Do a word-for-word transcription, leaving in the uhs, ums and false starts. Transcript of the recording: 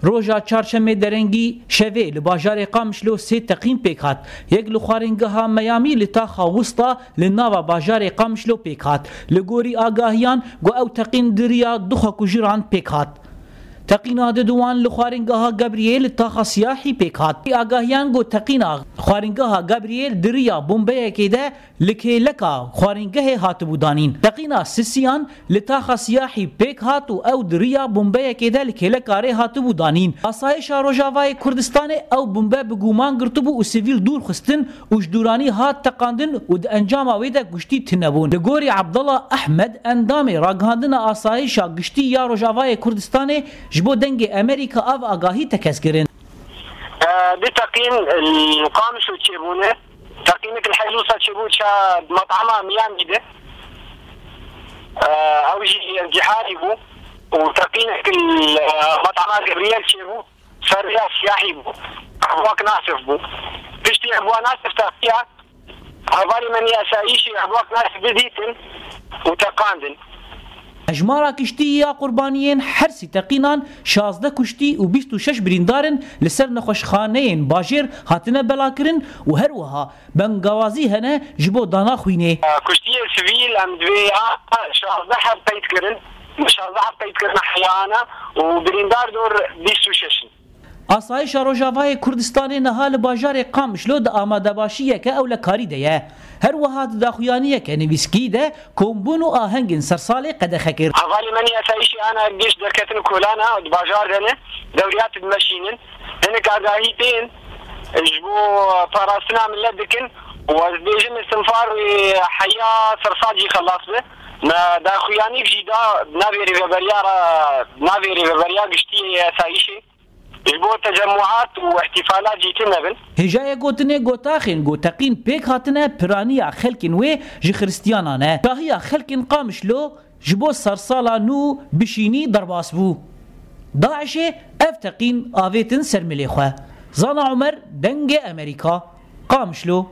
Roja çarşemê derengî şevê li bajarê Qamişlo sê teqîn pêk hat. Yek li xwaringeha Miami li taxa Wista li nava bajarê Qamişlo pêk hat. Li gorî agahiyan got ew teqîn di riya du xwekujiran pêk hat. Teqîna diduwan li xwaringeha Gebriyê li taxa Siyahî pêk hat. Agahiyan got teqîna xwaringeha Gebriyê di riya bombeyekê de li kêleka xwaringehê hatibû danîn. Teqîna sisiyan li taxa Siyahî pêk hat û ew di riya bombeyekê de li kêleka rê hatibû danîn. Asayişa Rojavayê Kurdistanê ew bombe bi guman girtibû û sivîl dûr xistin û ji dûranî hat teqandin û di encama wê de kuştî tune bûn. Li gorî Abdullah Ahmed, endamê ragihandina asayişa giştî ya Rojavayê Kurdistanê, ji bo Dengê Amerîka ev agahî tekez kirin. Di teqîn li Qamişlo çêbûne. Teqînek li Heylusa çêbû ça met'ema Miami de. Ew jî ziharî bû. Û teqînek li met'ema Gebriyel çêbû. Ser rêya Siyahî bû. Ehbak Nasif bû. Piştî Ehbak Nasif teqiya. Hevalê me nê asayîşê Ehbak Nasif didîtin û teqandin. Hejmara kiştî ya qurbaniyên her sî teqînan şazdeh kuştî û bîst û şeş birîndar in li ser nexweşxaneyên bajêr hatine belakirin û her wiha bengawazî hene ji bo dana xwînê. Kuştiyê sivîl em divê a şazdeh heb qeyd kirin. Şazdeh heb qeyd kirine heyana û birîndar dor bîst û şeş in. Asayişa Rojavayê Kurdistanê niha li bajarê Qamişlo di amadebaşiyeke ewlekarî de ye. Her wiha di daxuyaniyeke nivîskî de kombûn û ahengên sersalê qedexe kir. Hevalê me nê asayîşê ana giş derketin kolana di bajar de ne, dewriyat dimeşînin. Hinek agahî tên ji bo parastina millet dikin û ez dibêjim istinfar wê heya sersal jî xelas be. Me daxuyanîk jî da navê rêveberiya re, navê rêveberiya giştî yê asayîşê. Ji bo tecemmuat û îhtîfalat jî tune bin. Hêjayê gotinê gotaxên ku teqîn pêk hatine piraniya xelkên wê ji xiristiyanan e. Şahiya xelkên Qamişlo ji bo sersala nû bişînî derbas bû. DAIŞê ev teqîn avêtin ser milê xwe. Zana Omer, Dengê Amerîka, Qamişlo.